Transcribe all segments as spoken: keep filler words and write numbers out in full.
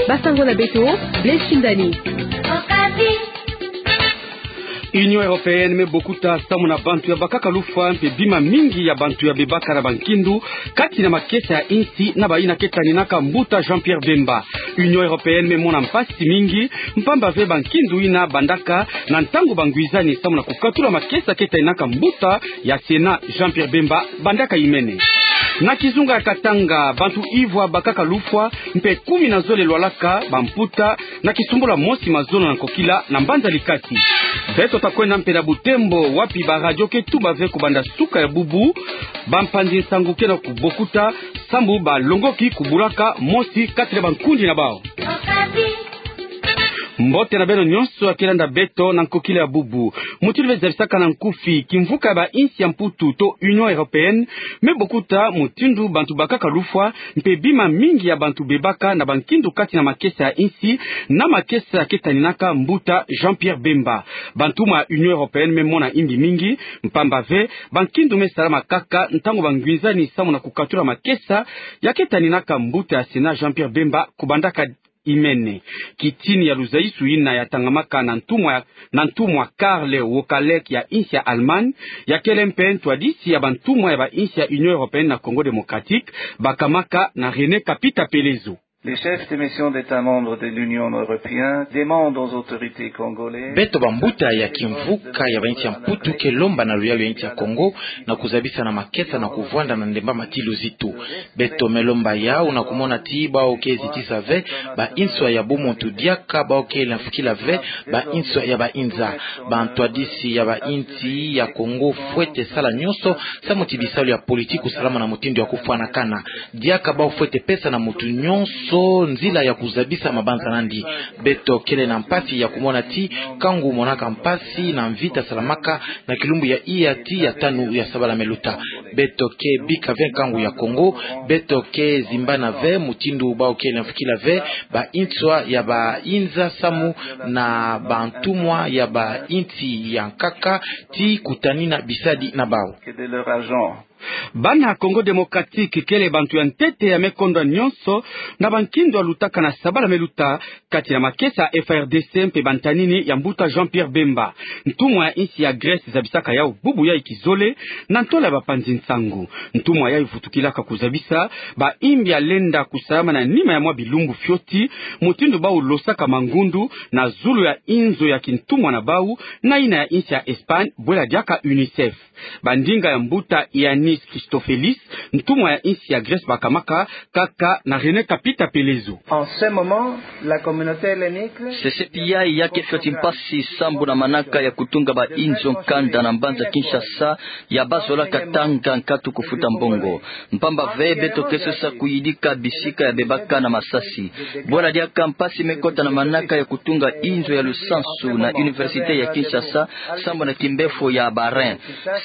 Basango na beto, Blaise Shindani. Union Européenne me bokuta samu na bantu ya bakaka lufwa mpe bima mingi ya bantu ya bebaka na bankindu kati na makesa ya insi na bayina ke taninaka mbuta Jean-Pierre Bemba. Union Européenne me mona mpasi mingi, mpamba ve bankindu yina bandaka na ntangu bangwizani samu na kukatula makesa ke taninaka mbuta ya Sénat Jean-Pierre Bemba bandaka imene. Na kizunga ya Katanga, bantu ivwa bakaka lufwa mpe kumi na zole lwalaka bamputa na kisumbula mosi mazono na nkokila na mbanza Likasi. Beto ta kwenda mpe na Butembo, wapi ba radio ke tuba ve kubanda suka ya bubu bampanzi nsangu ke na kubokuta sambu balongoki kubulaka mosi kati na bankundi na bawu. Mbote na beno nyonso ya ke landa beto na nkokila ya bubu. Mutindu be zabisaka na nkufi, kimvuka ya bainsi ya Mputu to Union Européenne me bokuta mutindu bantu bakaka lufwa mpe bima mingi ya bantu bebaka na bankindu kati na makesa ya insi na makesa ke taninaka mbuta Jean-Pierre Bemba. Bantumwa ya Union Européenne me mona yingi mingi, mpamba ve bankindu me salama kaka ntangu bangwizani samu na kukatula makesa ya ke taninaka mbuta ya Sénat Jean-Pierre Bemba kubandaka imene. Kitini ya luzaisu yina ya tangamaka na ntumwa, na ntumwa Karl Wokalek ya insi ya Allemagne, ya kele mpe ntwadisi ya bantumwa ya bainsi ya Union Européenne na Congo Démocratique, bakamaka na René Kapita Pelezo. Les chefs de mission d'État membres de l'Union européenne demandent aux autorités congolaises. Beto bambuta ya kimvuka ya bainsi ya Mputu ke lomba na luyalu ya insi ya Congo na kuzabisa na makesa na kuvwanda na ndemba mati luzitu. Beto me lomba yawu na kumona ti bawu ke zitisa ve bainswa ya bumuntu diaka bawu ke lemfukila ve bainswa ya bainza. Bantwadisi ya bainsi ya Congo fwete sala nyonso samu ti bisalu ya politiki kusalama na mutindu ya kufwanakana. Diaka bawu fwete pesa na mutu nyonso nzila ya kuzabisa mabanza nandi. Beto kele na mpasi ya kumona ti kangu monaka mpasi na mvita salamaka na kilumbu ya iyati ya tanu ya sabala me luta. Beto ke bika ve nkangu ya Congo, beto ke zimbana ve mutindu bawu ke lemfukila ve bainswa ya bainza samu na bantumwa ya bainsi ya nkaka ti kutanina bisadi na bawu. Que de leur argent. Bana Congo Démocratique kele bantu ya ntete ya me kondwa nyonso na bankindu ya lutaka na sabala me luta kati na makesa ya F A R D C mpe bantanini ya mbuta Jean-Pierre Bemba. Ntumwa ya insi ya Grèce zabisaka yawu bubu yayi kizole na ntola ya bapanzi nsangu. Ntumwa yayi vutukilaka kuzabisa bayimbi ya lenda kusalama na nima ya mwa bilumbu fioti, mutindu bawu losaka mangundu na zulu ya inzo ya kintumwa na bawu na yina ya insi ya Espagne, bwela diaka UNICEF. Bandinga ya mbuta Yanis Christofelis, ntumwa ya insi ya Grèce, bakamaka kaka na René Kapita Pelezo. En ce moment, la communauté hellénique. Sesepi yayi ya ke fioti mpasi sambu na manaka ya kutunga bainzo nkanda na mbanza Kinshasa ya bazolaka tanga nkatu kufuta mbongo. Mpamba ve beto ke sosa kuyidika bisika ya bebaka na masasi. Bwela diaka mpasi me kota na manaka ya kutunga inzo ya lusansu na Université ya Kinshasa, sambu na kimbefo ya ba rein.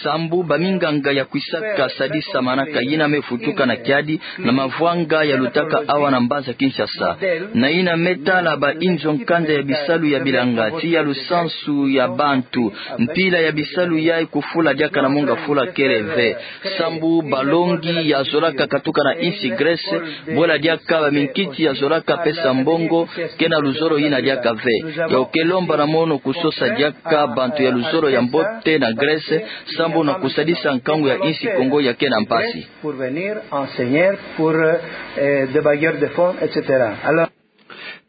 Sambu baminganga ya kwisaka sadisa manaka yina me vutuka na kiadi na mavwanga ya lutaka awa na mbanza Kinshasa. Na yina me tala bainzo nkanda ya bisalu ya bilanga, ti ya lusansu ya bantu, mpila ya bisalu yayi kufula diaka na monga fula kele ve. Sambu balongi ya zolaka katuka na insi Grèce, bwela diaka baminkiti ya zolaka pesa mbongo, ke na luzolo yina diaka ve. Yawu ke lomba na mono kusosa diaka bantu ya luzolo ya mbote na Grèce, sambu na kusadisa nkangu ya insi Congo ya ke na mpasi. Pour venir enseigner pour, euh, des bailleurs de fonds, et cetera. Alors,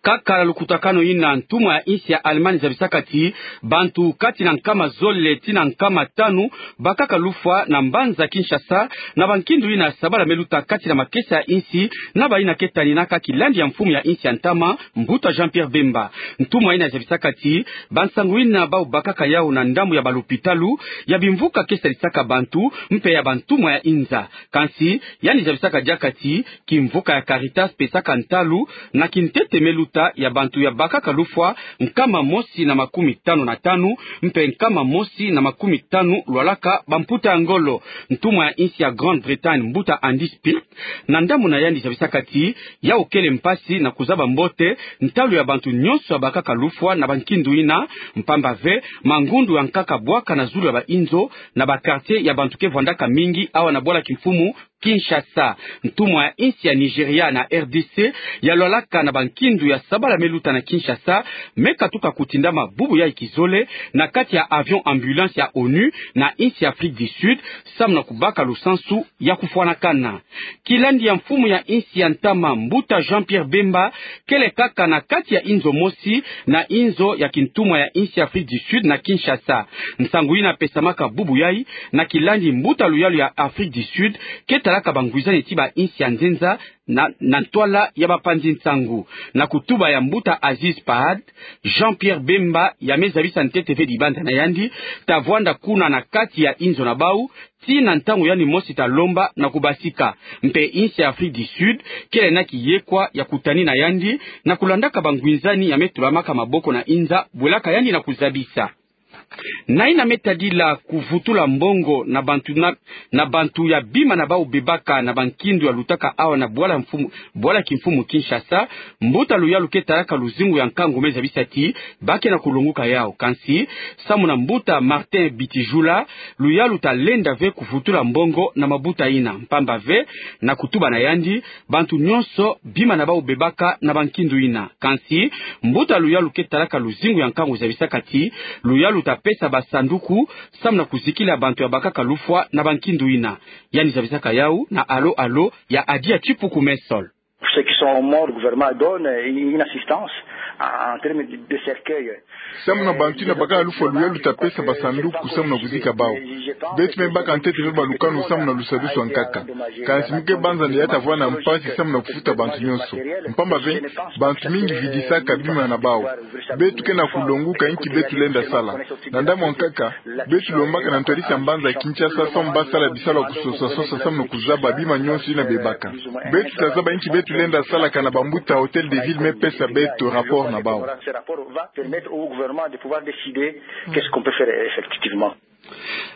kaka na lukutakanu yina, ntumwa ya insi ya Allemagne zabisaka ti bantu kati na nkama zole tii na nkama tanu bakaka lufwa na mbanza Kinshasa na bankindu yina sabala me luta kati na makesa ya insi na bayina ke taninaka kilandi ya mfumu ya insi ya ntama, mbuta Jean-Pierre Bemba. Ntumwa yina zabisaka ti bansangu yina bawu bakaka yawu na ndambu ya balopitalu ya bimvuka ke sadisaka bantu mpe ya bantumwa ya inza. Kansi yandi zabisaka diaka ti kimvuka ya Caritas pesaka ntalu na kintete me luta ya bantu ya bakaka lufwa nkama mosi na makumi tanu na tanu, mpe nkama mosi na makumi tanu lwalaka bamputa ya ngolo. Ntumwa ya insi ya Grande-Bretagne, mbuta Andy Spirit, na ndambu na yandi zabisaka ti yawu kele mpasi na kuzaba mbote ntalu ya bantu nyonso ya bakaka lufwa na bankindu yina, mpamba ve mangundu ya nkaka bwaka na zulu ya bainzo na ba quartier ya bantu ke vwandaka mingi awa na bwala kimfumu Kinshasa. Ntumwa ya insi ya Nigeria na R D C, ya lwalaka na bankindu ya sabala me luta na Kinshasa, me katuka kutindama bubu yai kizole, na kati ya avion ambulance ya onu, na insi ya Afrique du Sud, samu na kubaka lusansu ya kufwanakana. Kilandi ya mfumu ya insi ya ntama, mbuta Jean-Pierre Bemba, kele kaka na kati ya inzo mosi, na inzo ya kintumwa ya insi ya Afrique du Sud na Kinshasa. Nsangu yina pesamaka bubu yai, na kilandi mbuta luyalu ya Afrique du Sud, ke talaka bangwizani ti ba insi ya nzenza, na, na ntwala ya bapanzi nsangu. Na kutuba ya mbuta Aziz Pahad, Jean-Pierre Bemba, ya me zabisa ntete ve dibanza na yandi, ta vwanda kuna na kati ya inzo na bau, ti na ntangu yandi mosi ta lomba na kubasika. Mpe insi ya Afrique du Sud, kele na kiyekwa ya kutani na yandi, na kulandaka bangwizani ya me tulamaka maboko na inza, bwelaka yandi na kuzabisa. Na yina me tadila kuvutula mbongo na bantu na, na bantu ya bima na bau bebaka na bankindu ya lutaka awa na bwala mfumu, bwala kimfumu Kinshasa, mbuta luyalu ke talaka luzingu ya nkangu me zabisa ti, ba ke na kulonguka yau. Kansi, samu na mbuta Martin Bitijula, luyalu ta lenda ve kuvutula mbongo na mabuta yina. Mpamba ve, na kutuba na yandi, bantu nyonso, bima na bau bebaka na bankindu yina. Kansi, mbuta luyalu ke talaka luzingu ya nkangu zabisaka ti, luyalu ta pesa basanduku, samu na kuzikila bantu ya bakaka lufwa na bankindu yina. Yandi zabisaka yau, na alo alo, ya Adia Tipuku Messol. Ceux qui sont morts, le gouvernement donne une assistance en termes de, de cercueil. Samu na bantu yina bakaka lufwa, luyalu ta pesa basanduku samu na kuzika bau. Beto me baka ntete ve balukanu samu na lusadusu ya nkaka. Kansi mu ke banza nde ya ta vwanda mpasi samu na kufuta bantu nyonso. Mpamba ve, bantu mingi vidisaka bima na bau. Beto ke na kulonguka inki beto lenda sala. Na ndambu ya nkaka, beto lombaka na ntwadisi ya mbanza Kinshasa samu ba sala bisalu ya kusosa sosa samu na kuzaba bima nyonso yina bebaka. Beto ta zaba inki beto lenda salaka na bambuta Hôtel de Ville me pesa beto rapport na bau.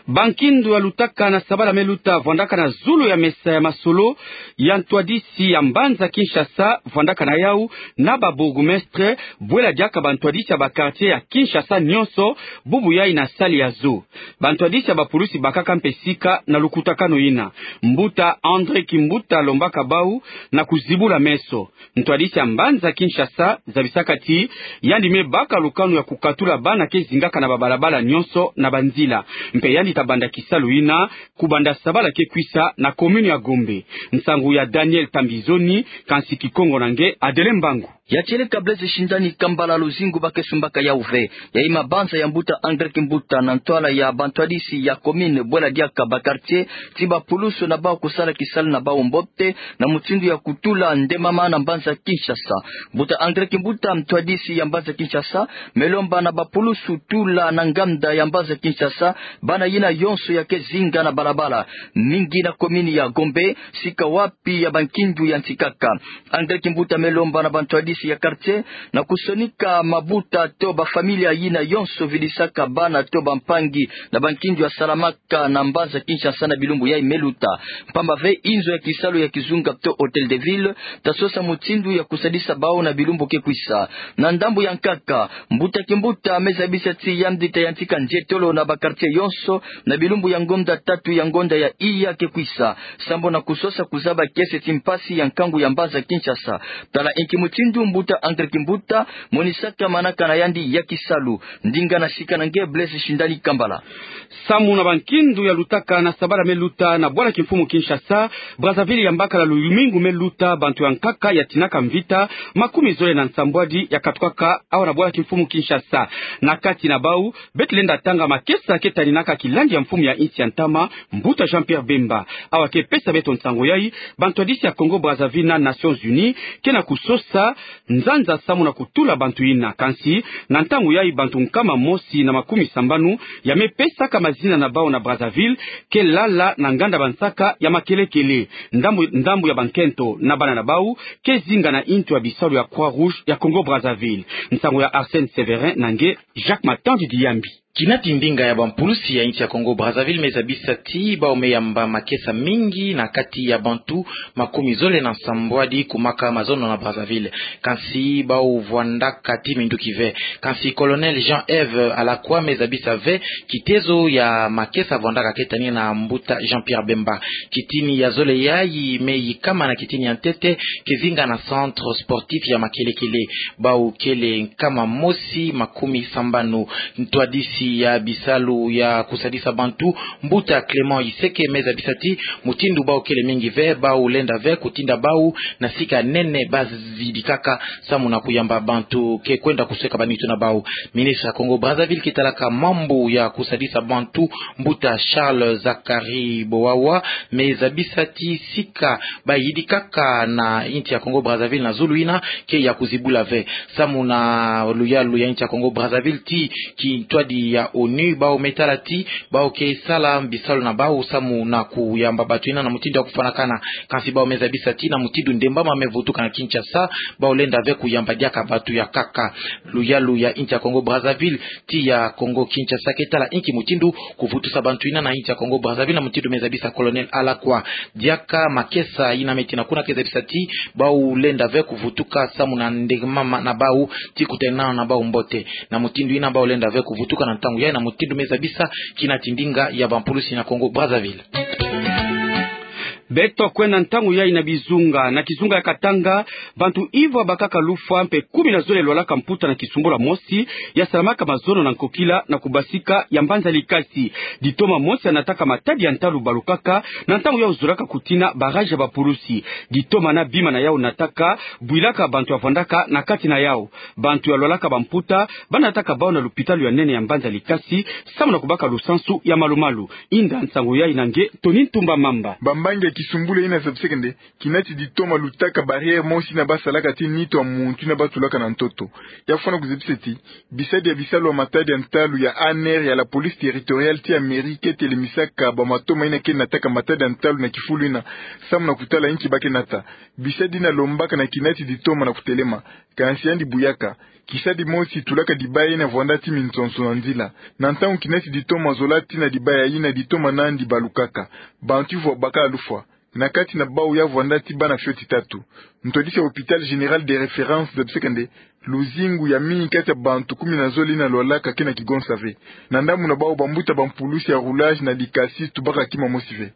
Bankindu ya lutaka na sabala me luta vwandaka na zulu ya mesa ya masolo ya ntwadisi ya mbanza Kinshasa, vwandaka na yau na ba bourgmestre, bwela diaka bantwadisi ya ba quartier ya Kinshasa nyonso, bubu yai na sali ya zo. Bantwadisi ya bapulusi bakaka mpe sika na lukutakanu yina. Mbuta André Kimbuta lombaka bau na kuzibula meso. Ntwadisi ya mbanza Kinshasa zabisaka ti, yandi me baka lukanu ya kukatula bana ke zingaka na babalabala nyonso na banzila. Mpe yandi ta banda kisalu yina, kubanda sabala ke kwisa na commune ya Gombe. Nsangu ya Daniel Tambizoni, kansi Kikongo na nge Adelin Mbangu. Ya tieleka Blaise Shindani Kambala, luzingu ba ke sumbaka yau ve. Yayi mabanza ya mbuta André Kimbuta na ntwala ya bantwadisi ya commune, bwela diaka ba quartier, ti bapulusu na bau kusala kisalu na bau mbote, na mutindu ya kutula ndemama na mbanza Kinshasa. Mbuta André Kimbuta, mtwadisi ya mbanza Kinshasa, me lomba na bapulusu tula na nganda ya mbanza Kinshasa, bana yina yonso ya ke zinga na balabala, mingi na commune ya Gombe, sika wapi ya bankindu ya nsi kaka. André Kimbuta me lomba na bantwadisi ya quartier na kusonika mabuta to bafamilia yina yonso vidisaka bana to bampangi na bankindu ya salamaka na mbanza Kinshasa na bilumbu yai me luta. Mpamba ve inzo ya kisalu ya kizunga to Hôtel de Ville ta sosa mutindu ya kusadisa bau na bilumbu ke kwisa. Na ndambu ya nkaka, mbuta Kimbuta me zabisa ti yandi ta yantika nzietolo na ba quartier yonso na bilumbu ya ngonda tatu ya ngonda ya iya ke kwisa, sambo na kusosa kuzaba kiese ti mpasi ya nkangu ya mbanza Kinshasa. Tala inki mutindu mbuta André Kimbuta monisaka manaka na yandi ya kisalu. Ndinga na sika na nge Blaise Shindani Kambala. Samu na bankindu ya lutaka na sabala me luta na bwala kimfumu Kinshasa, Brazzaville, ya mbakala lumingu me luta, bantu ya nkaka ya tinaka mvita makumi zole na nsambwadi ya katukaka awa na bwala kimfumu Kinshasa. Na kati na bau, beto lenda tanga makesa ke taninaka kilandi ya mfumu ya insi ya ntama, mbuta Jean-Pierre Bemba. Awa ke pesa beto nsangu yai, bantwadisi ya Congo Brazzaville na Nations Unies ke na kusosa nzanza samu na kutula bantu yina. Kansi, na ntangu yai bantu nkama mosi na makumi sambanu ya me pesaka mazina na bau na Brazzaville ke lala na nganda bansaka ya makelekele. Ndambu, ndambu ya bankento na bana na bau ke zinga na intu ya bisalu ya Croix-Rouge ya Congo Brazzaville. Nsangu ya Arsène Sévérin na nge Jacques Matandi Diyambi. Kina ti ndinga ya bampulusi ya insi ya Congo Brazzaville me zabisa ti bau me yamba makesa mingi na kati ya bantu makumi zole na sambwadi kumaka mazono na Brazzaville. Kansi bau vwandaka ti minduki ve. Kansi Colonel Jean-Ève Alakwa me zabisa ve kitezo ya makesa vwandaka ke tani na mbuta Jean-Pierre Bemba. Kitini ya zole yayi me yikama na kitini ya ntete ke zinga na centre sportif ya Makelekele. Bau kele nkama mosi makumi sambanu. Ntwadisi ya bisalu ya kusadisa bantu, mbuta Clément Iseke, me zabisa ti mutindu bau kele mingi ve, bau lenda ve kutinda bau na sika nene ba zidikaka samu na kuyamba bantu ke kwenda kusweka banitu na bau. Ministre ya Congo Brazzaville ke talaka mambu ya kusadisa bantu, mbuta Charles Zacharie Bowawa, me zabisa ti sika ba yidikaka na insi ya Congo Brazzaville na zulu ina ke ya kuzibula ve. Samu na luyalu ya insi ya Congo Brazzaville, ti kintwadi ya onu bau me tala ti bau ke sala bisalu na bau samu na kuyamba bantu ina na mutindu ya kufwanakana. Kansi bau me zabisa ti na mutindu ndembama me vutuka na Kinshasa, bau lenda ve kuyamba diaka bantu ya nkaka. Luyalu ya insi ya Congo Brazzaville, ti ya Congo Kinshasa ke tala inki mutindu kuvutusa bantu ina na insi ya Congo Brazzaville na mutindu me zabisa Colonel Alakwa. Diaka makesa ina me tina kuna ke zabisa ti bau lenda ve kuvutuka samu na ndembama na bau ti kutalana na bau mbote. Na mutindu ina bau lenda ve kuvutuka na ntangu yayi na mutindu me zabisa kina ti ndinga ya bampulusi na Congo Brazzaville. Beto kwenda ntangu yayi na bizunga. Na kizunga ya Katanga, bantu ivwa bakaka lufwa mpe kumi na zole lwalaka mputa na kisumbula mosi ya salamaka mazono na nkokila na kubasika ya mbanza Likasi. Ditoma mosi ya nataka matadi ya ntalu balukaka na ntangu yau zolaka kutina barrage ya bapulusi. Ditoma na bima na yau nataka bwilaka bantu ya vwandaka na kati na yau. Bantu ya lwalaka bamputa ba nataka bau na lupitalu ya nene ya mbanza Likasi samu na kubaka lusansu ya malumalu. Inda nsangu yayi na nge Tony Ntumba Mamba. Bambangi ya kisumbula ina zabiseke nde kina ti ditoma lutaka barrière mosi ina ba salaka ti nitu ya muntu ina ba tulaka na ntoto. Ya fwana kuzabisa ti bisadi ya bisalu ya matadi ya ntalu ya ANR ya la police territoriale ti ya mairie ke telemisaka bamatoma ina ke nataka matadi ya ntalu na kifulu ina samu na kutala inki ba ke nata. Bisadi ina lombaka na kina ti ditoma na kutelema. Kansi yandi buyaka. Kisadi mosi tulaka dibaya ina vwanda ti minsonso na nzila. Na ntangu kina ti ditoma zola tina dibaya ina, ditoma nandi balukaka. Bantu ivwa bakaka lufwa. Na kati na bau ya vwanda ti bana fioti tatu. Ntwadisi ya hôpital général de référence zabiseke nde luzingu ya mingi kati ya bantu kumi na zole ina lwalaka ke na kigonsa ve. Na ndambu na bau bambuta bampulusi ya roulage na Likasi tubaka kima mosi ve.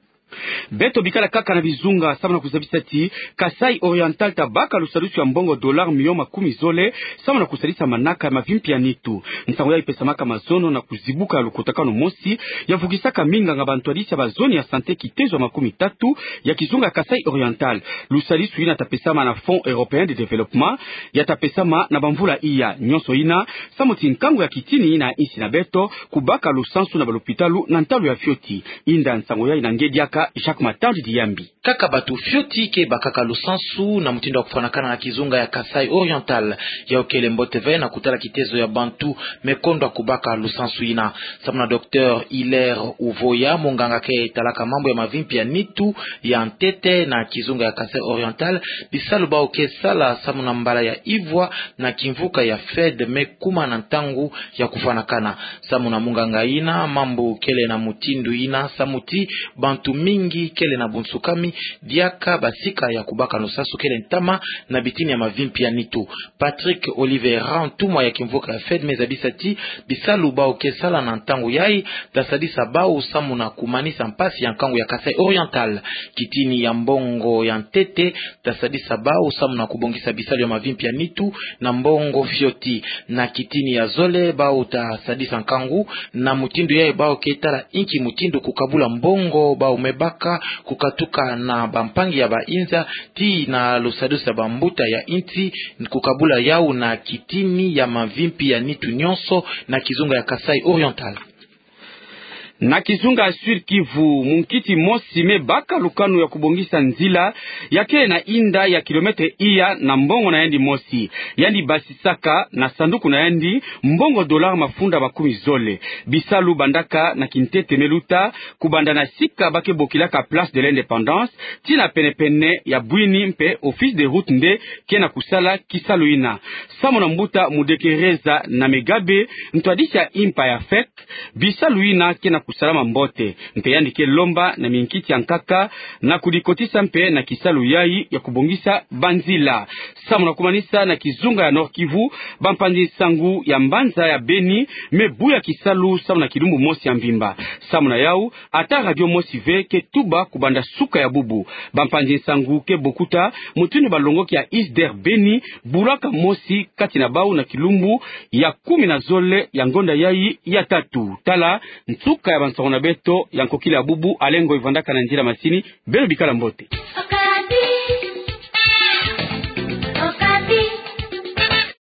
Beto bikala kaka na bizunga samu na kuzabisa ti Kasaï Oriental ta baka lusadusu ya mbongo dollar milion makumi zole samu na kusadisa manaka ya mavimpi ya nitu. Nsangu yayi ipesamaka mazono na kuzibuka ya lukutakanu mosi ya vukisaka minganga bantwadisi ya bazone ya santé kitezo ya makumi tatu ya kizunga ya Kasaï Oriental. Lusadusu ina ta pesama na Fonds Européen de Développement, ya ta pesama na bamvula iya. Nyonso ina samu ti nkangu ya kitini ina insi na beto kubaka lusansu na balupitalu na ntalu ya fioti. Inda nsangu yayi na nge diaka Jacques Matandi Diyambi. Kaka bantu fioti ke bakaka lusansu na mutindu ya kufwanakana na kizunga ya Kasaï Oriental. Yau kele mbote ve na kutala kitezo ya bantu me kondwa kubaka lusansu ina. Samu na Docteur Hilaire Uvoya, munganga ke talaka mambu ya mavimpi ya nitu ya ntete na kizunga ya Kasaï Oriental, bisalu bau ke sala samu na mbala ya ivwa na kimvuka ya FED me kuma na ntangu ya kufwanakana. Samu na munganga ina, mambu kele na mutindu ina samu ti bantu mingi kele na bunsukami, diaka basika ya kubaka lusansu kele ntama na bitini ya mavimpi ya nitu. Patrick Oliveira, ntumwa ya kimvuka ya FED, me zabisa ti bisalu bau ke sala na ntangu yayi ta sadisa bau samu na kumanisa mpasi ya nkangu ya Kasaï Oriental. Kitini ya mbongo ya ntete ta sadisa bau samu na kubongisa bisalu ya mavimpi ya nitu na mbongo fioti. Na kitini ya zole bau ta sadisa nkangu na mutindu yayi bau ke tala inki mutindu kukabula mbongo bau me baka kukatuka na bampangi ya bainza tii na lusadusu ya bambuta ya insi, kukabula yau na kitini ya mavimpi ya nitu nyonso na kizunga ya Kasaï Oriental. Na kizunga Sud-Kivu, munkiti mosi me baka lukanu ya kubongisa nzila, ya kele na inda ya kilometre iya na mbongo na yandi mosi. Yandi basisaka na sanduku na yandi mbongo dollar mafunda makumi zole. Bisalu bandaka na kintete me luta, kubanda na sika ba ke bokilaka Place de l'Indépendance, tii na penepene ya bwini mpe Office des Routes nde ke na kusala kisalu yina. Samu na mbuta Mudekereza Namigabe, ntwadisi ya impa ya fek, bisalu yina ke na kusalama mbote, mpe yandi ke lomba na minkiti ya nkaka na kudikotisa mpe na kisalu yayi ya kubongisa banzila. Samu na kumanisa, na kizunga ya Nord-Kivu, bampanzi nsangu ya mbanza ya Beni me buya kisalu samu na kilumbu mosi ya mvimba. Samu na yau, ata radio mosi ve ke tuba kubanda suka ya bubu. Bampanzi nsangu ke bokuta mutindu balongoki ya ISDER Beni bulaka mosi kati na bau na kilumbu ya kumi na zole ya ngonda yayi ya tatu. Tala nsuka ya bansoko na beto ya nkokila ya bubu. Alain Ngoy vandaka na nzila masini. Beno bikala mbote.